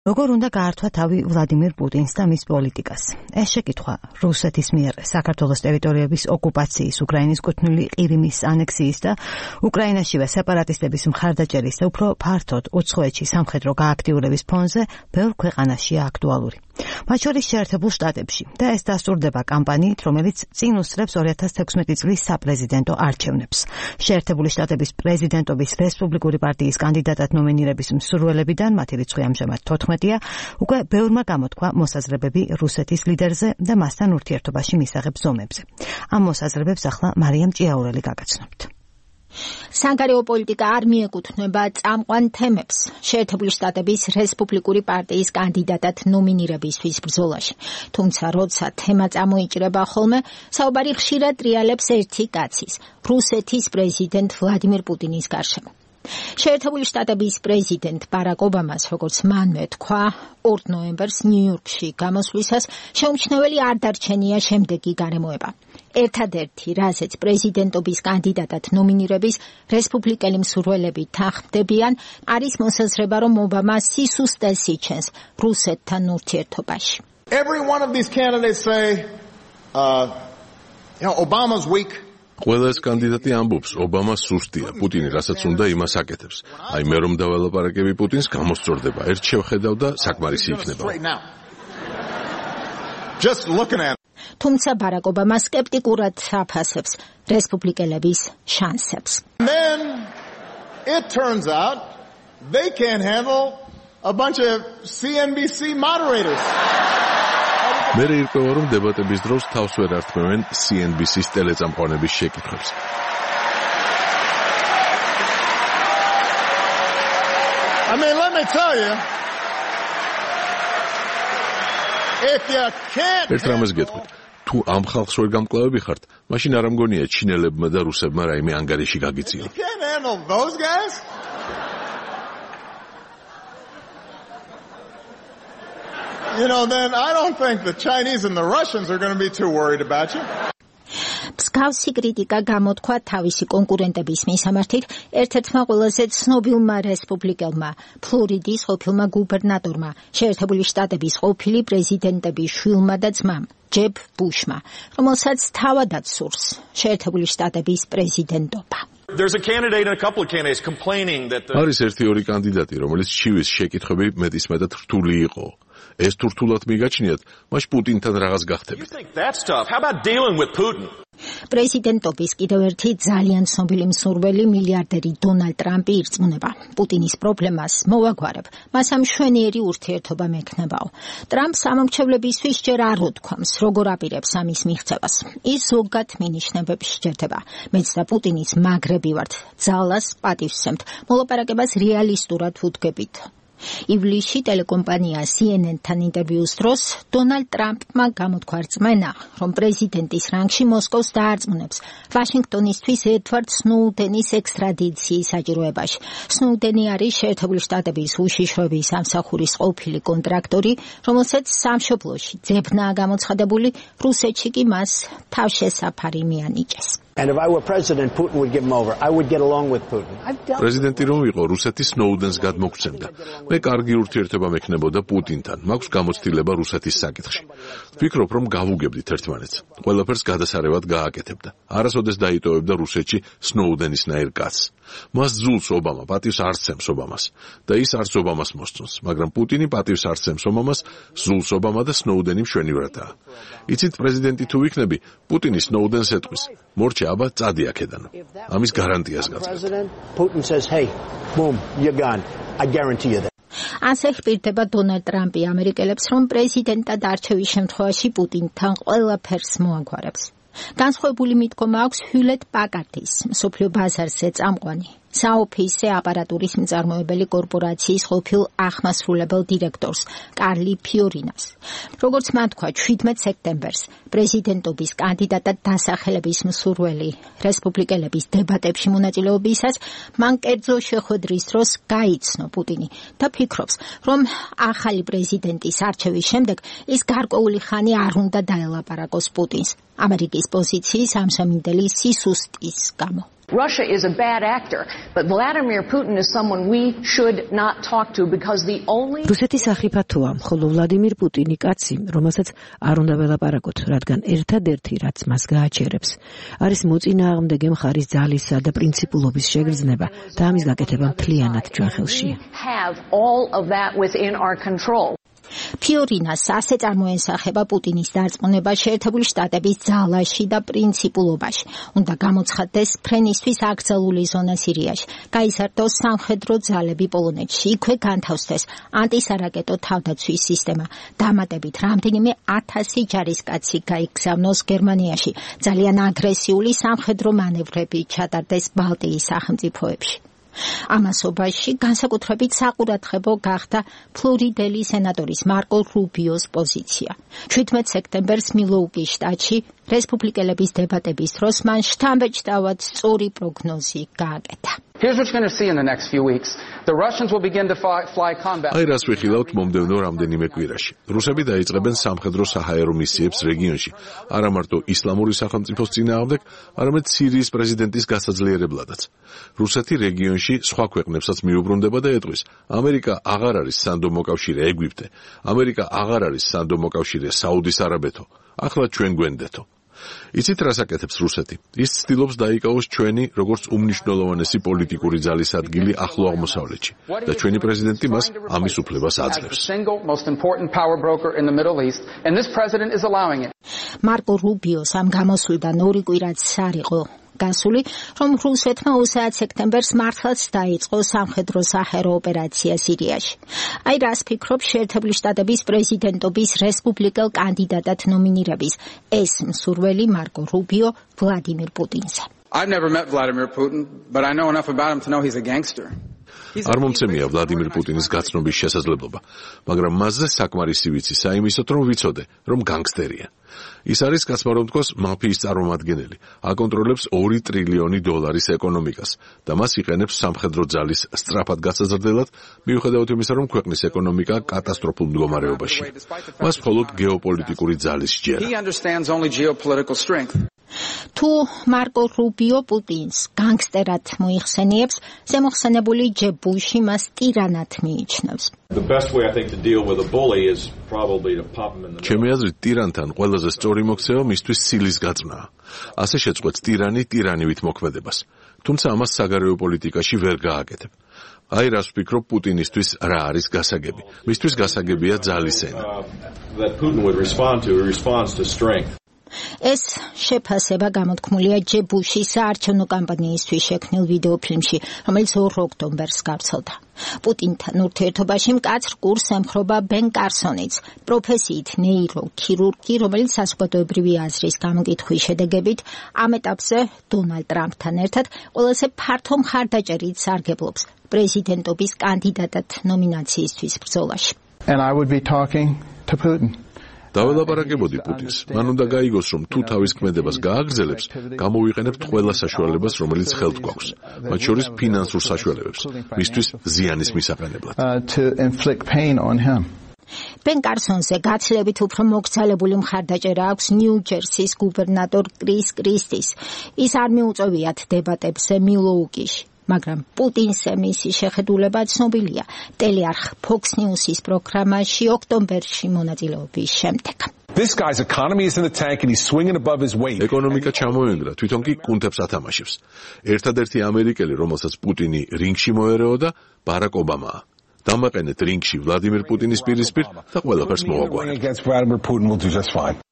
როგორ უნდა გაართვა თავი ვლადიმირ პუტინს და მის პოლიტიკას? ეს შეკითხვა რუსეთის მიერ საქართველოს ტერიტორიების ოკუპაციის, უკრაინის კუთვნილი ყირიმის ანექსიის და უკრაინაშივე სეპარატისტების მხარდაჭერის და უფრო ფართოდ უცხოეთში სამხედრო გააქტიურების ფონზე ბევრ ქვეყანაშია აქტუალური. მათ შორის შეერთებულ შტატებში და ეს დასტურდება კამპანიით, რომელიც წინ უსწრებს 2016 წლის საპრეზიდენტო არჩევნებს. შეერთებული შტატების პრეზიდენტობის რესპუბლიკური პარტიის კანდიდატად ნომინირების მსურველებიდან, მათი რიცხვი ამჟამად 14-ია, უკვე ბევრმა გამოთქვა მოსაზრებები რუსეთის ლიდერზე და მასთან ურთიერთობაში მისაღებ ზომებზე. ამ მოსაზრებებს ახლა მარიამ ჭიაურელი გაგაცნობთ. საგარეო პოლიტიკა არ მიეკუთვნება წამყვან თემებს შეერთებული შტატების რესპუბლიკური პარტიის კანდიდატად ნომინირებისთვის ბრძოლაში. თუმცა, როცა თემა წამოიჭრება ხოლმე, საუბარი ხშირად ტრიალებს ერთი კაცის, რუსეთის პრეზიდენტ ვლადიმირ პუტინის გარშემო. შეერთებული შტატების პრეზიდენტ ბარაკ ობამას, როგორც მანვე თქვა, 2 ნოემბერს ნიუ-იორკში გამოსვლისას შეუმჩნეველი არ დარჩენია შემდეგი გარემოება. ერთადერთი, რაზეც პრეზიდენტობის კანდიდატად ნომინირების რესპუბლიკელი მსურველები თანხმდებიან, არის მოსაზრება, რომ ობამა სისუსტეს იჩენს რუსეთთან ურთიერთობაში. Every one of these candidates say, Obama's weak. ყველა ეს კანდიდატი ამბობს, ობამა სუსტია, პუტინი რასაც უნდა იმას აკეთებს. აი მე რომ დაველაპარაკები პუტინს, გამოსწორდება. ერთ შევხედავ და საკმარისი იქნება. თუმცა ბარაკ ობამა სკეპტიკურად აფასებს რესპუბლიკელების შანსებს. Then it turns out they can't handle a bunch of CNBC moderators. მე ირკვევა, რომ დებატების დროს თავს ვერ ართმევენ CNBC-ის ტელეწამყვანების შეკითხვებს. Let me tell you, if you can't ერთ რამეს გეტყვით, თუ ამ ხალხს ვერ გამკლავები ხართ, მაშინ არ ამგონია ჩინელებმა და რუსებმა რაიმე ანგარიში გაგიწიო. You can't handle those guys? Then I don't think the Chinese and the Russians are going to be too worried about you. მსგავსი კრიტიკა გამოთქვა თავისი კონკურენტების მისამართით ერთ-ერთმა ყველაზე ცნობილმა რესპუბლიკელმა, ფლორიდის ყოფილმა გუბერნატორმა, შეერთებული შტატების ყოფილი პრეზიდენტების შვილმა და ძმამ, ჯებ ბუშმა, რომელსაც თავადაც სურს შეერთებული შტატების პრეზიდენტობა. There's a candidate and a couple of candidates complaining that არის ერთი-ორი კანდიდატი, რომელიც ჩივის შეკითხვები მეტისმეტად რთული იყო. ეს თუ რთულად მიგაჩნიათ, მაშ პუტინთან რაღაც გახდებით. პრეზიდენტობის კიდევ ერთი ძალიან ცნობილი მსურველი მილიარდერი დონალდ ტრამპი ირწმუნება. პუტინის პრობლემას მოვაგვარებ, მას ამ მშვენიერი ურთიერთობა მექნებაო. ტრამპს ამომრჩევლებისთვის ჯერ არ უთქვამს, როგორ აპირებს ამის მიღწევას. ის ზოგად მინიშნებებს სჯერდება. მეც და პუტინის მაგრები ვართ, ძალას პატივსცემთ, მოლაპარაკებას რეალისტურად ვუდგებით. ივლისში ტელეკომპანია CNN-თან ინტერვიუს დროს დონალდ ტრამპმა გამოთქვა რწმენა, რომ პრეზიდენტის რანგში მოსკოვს დაარწმუნებს ვაშინგტონისთვის ედვარდ სნოუდენის ექსტრადიციის საჭიროებაში. სნოუდენი არის შეერთებული შტატების უშიშროების სამსახურის ყოფილი კონტრაქტორი, რომელსაც სამშობლოში ძებნაა გამოცხადებული, რუსეთში კი მას თავშესაფარი მიანიჭეს. And if I were president, Putin would give him over. I would get along with Putin. პრეზიდენტი რომ იყო, რუსეთი სნოუდენს გადმოგცემდა. მე კარგი ურთიერთობა მექნებოდა პუტინთან. მაქვს გამოცდილება რუსეთის საკითხში. ვფიქრობ, რომ გავუგებდით ერთმანეთს. ყველაფერს გადასარევად გააკეთებდა. არასოდეს დაიტოვებდა რუსეთში სნოუდენისნაირ კაცს. მას ძულს ობამა, პატივს არ სცემს ობამას. და ის არც ობამას მოსწონს, მაგრამ პუტინი პატივს არ სცემს ობამას, ზულს ობამა და სნოუდენი მშვენივრადაა. იცით, პრეზიდენტი თუ ვიქნები, პუტინი სნოუდენს ეტყვის. მორჩა აბა წადი აქედან. ამის გარანტიას გაძლევ. Putin says, "Hey, boom, you're gone. I guarantee you that." ასე ხპირდება დონალდ ტრამპი ამერიკელებს, რომ პრეზიდენტად არჩევის შემთხვევაში პუტინთან ყველაფერს მოაგვარებს. განსხვავებული მიდგომა აქვს ჰიულეტ პაკარდის, მსოფლიო ბაზარზე წამყვანი, საოფისე აპარატურის მწარმოებელი კორპორაციის ყოფილ ახმასრულებელ დირექტორს, კარლი ფიორინას. როგორც მან თქვა 17 სექტემბერს, პრეზიდენტობის კანდიდატად დასახელების მსურველი რესპუბლიკელების დებატებში მონაწილეობისას, მან კერძო შეხვედრის დროს გაიცნო პუტინი და ფიქრობს, რომ ახალი პრეზიდენტის არჩევის შემდეგ ის გარკვეული ხანი არ უნდა დაელაპარაკოს პუტინს ამერიკის პოზიციის ამჟამინდელი სისუსტის გამო. Russia is a bad actor, but Vladimir Putin is someone we should not talk to because the only რუსეთის ახიფათოა, ხოლო ვლადიმირ პუტინი კაცი, რომელსაც არ უნდა ველაპარაკოთ, რადგან ერთადერთი, რაც მას გააჩერებს, არის მოწინააღმდეგე მხარის ძალისა და პრინციპულობის შეგრძნება და ამის გაკეთება მთლიანად ჩვენ ხელშია. have all of that within our control. ფიორინას ასე წარმოენსახება პუტინის დარწმუნება შეერთებული შტატების ძალაში და პრინციპულობაში. უნდა გამოცხადდეს ფრენისთვის აკრძალული ზონა სირიაში, გაიზარდოს სამხედრო ძალები პოლონეთში, იქვე განთავსდეს ანტისარაკეტო თავდაცვის სისტემა. დამატებით რამდენიმე 1000 ჯარისკაცი გაიგზავნოს გერმანიაში. ძალიან აგრესიული სამხედრო მანევრები ჩატარდეს ბალტიის სახელმწიფოებში. ამასობაში განსაკუთრებით საყურადღებო გახდა ფლორიდელი სენატორის მარკო რუბიოს პოზიცია. 17 სექტემბერს მილოუკის შტატში რესპუბლიკელების დებატების დროს მან შთამბეჭდავად სწორი პროგნოზი გააკეთა. Here's what you're going to see in the next few weeks. The Russians will begin to fly combat. აი რას ვიხილავთ მომდევნო რამდენიმე კვირაში. რუსები დაიწყებენ სამხედრო საჰაერო მისიებს რეგიონში, არა მარტო ისლამური სახელმწიფოს წინააღმდეგ, არამედ სირიის პრეზიდენტის გასაძლიერებლადაც. რუსეთი რეგიონში სხვა ქვეყნებსაც მიუბრუნდება და ეტყვის: ამერიკა აღარ არის სანდო მოკავშირე ეგვიპტე, ამერიკა აღარ არის სანდო მოკავშირე საუდის არაბეთო, ახლა ჩვენ გვენდეთო. იცით რას აკეთებს რუსეთი? ის ცდილობს დაიკავოს ჩვენი როგორც უმნიშვნელოვანესი პოლიტიკური ძალის ადგილი ახლო აღმოსავლეთში და ჩვენი პრეზიდენტი მას ამის უფლებას აძლევს. მარკო რუბიოს ამ გამოსვლიდან 2 კვირაც არ იყო გასული, რომ რუსეთმა 20 სექტემბერს მართლაც დაიწყო სამხედრო საჰაერო ოპერაცია სირიაში. აი რას ფიქრობ შეერთებული შტატების პრეზიდენტობის რესპუბლიკელ კანდიდატად ნომინირების ეს მსურველი მარკო რუბიო ვლადიმირ პუტინზე. I've never met Vladimir Putin, but I know enough about him to know he's a gangster. არ მომცემია ვლადიმირ პუტინის გაცნობის შესაძლებლობა, მაგრამ მასზე საკმარისი ვიცი საიმისოდ, რომ ვიცოდე, რომ განგსტერია. ის არის კაცმარონტკოს მაფიის წარმომადგენელი, აკონტროლებს $2 ტრილიონი ეკონომიკას და მას იყენებს სამხედრო ძალის სწრაფად გასაზრდელად, მიუხედავად იმისა, რომ ქვეყნის ეკონომიკა კატასტროფულ მდგომარეობაში. მას მხოლოდ გეოპოლიტიკური ძალის სჯერა. თუ მარკო რუბიო პუტინს განგსტერად მოიხსენიებს, ზემოხსენებული ჯებ ბუში მას ტირანად მიიჩნევს. ჩემი აზრით, ტირანთან ყველაზე სწორი მოქცევა მისთვის სილის გაწმნაა. ასე შეწყვეტს ტირანი ტირანივით მოქმედებას. თუმცა ამას საგარეო პოლიტიკაში ვერ გააკეთებ. აი რას ვფიქრობ პუტინისთვის რა არის გასაგები. მისთვის გასაგებია ძალის ენა. ეს შეფასება გამოთქმულია ჯებ ბუშის საარჩევნო კამპანიისთვის შექმნილ ვიდეოფილმში, რომელიც 2 ოქტომბერს გავრცელდა. პუტინთან ურთიერთობაში მკაცრ კურსს ემხრობა ბენ კარსონიც, პროფესიით ნეიროქირურგი, რომელიც საზოგადოებრივი აზრის გამოკითხვის შედეგებით ამ ეტაპზე დონალდ ტრამპთან ერთად ყველაზე ფართო მხარდაჭერით სარგებლობს პრეზიდენტობის კანდიდატად ნომინაციისთვის ბრძოლაში. And I would be talking to Putin. დაველაპარაკებოდი პუტინს. მან უნდა გაიგოს, რომ თუ თავის ქმედებას გააგრძელებს, გამოვიყენებთ ყველა საშუალებას, რომელიც ხელთ გვაქვს, მათ შორის ფინანსურ საშუალებებს, მისთვის ზიანის მისაყენებლად. ბენ კარსონზე გაცილებით უფრო მოგზაურებული მხარდაჭერა აქვს ნიუ-ჯერსის გუბერნატორ კრის კრისტის. ის არ მიუწევიათ დებატებზე მილოუკიში. მაგრამ პუტინს მისი შეხედულება ცნობილია ტელეარხ Fox News-ის პროგრამაში ოქტომბერში მონაწილეობის შემდეგ. This guy's economy is in the tank and he's swinging above his weight. ეკონომიკა ჩამოენგრა, თვითონ კი კუნთებს ათამაშებს. ერთადერთი ამერიკელი, რომელსაც პუტინი რინგში მოერეოდა, ბარაკ ობამაა. დამაყენეთ რინგში ვლადიმირ პუტინის პირისპირ და ყველაფერს მოვაგვარებთ.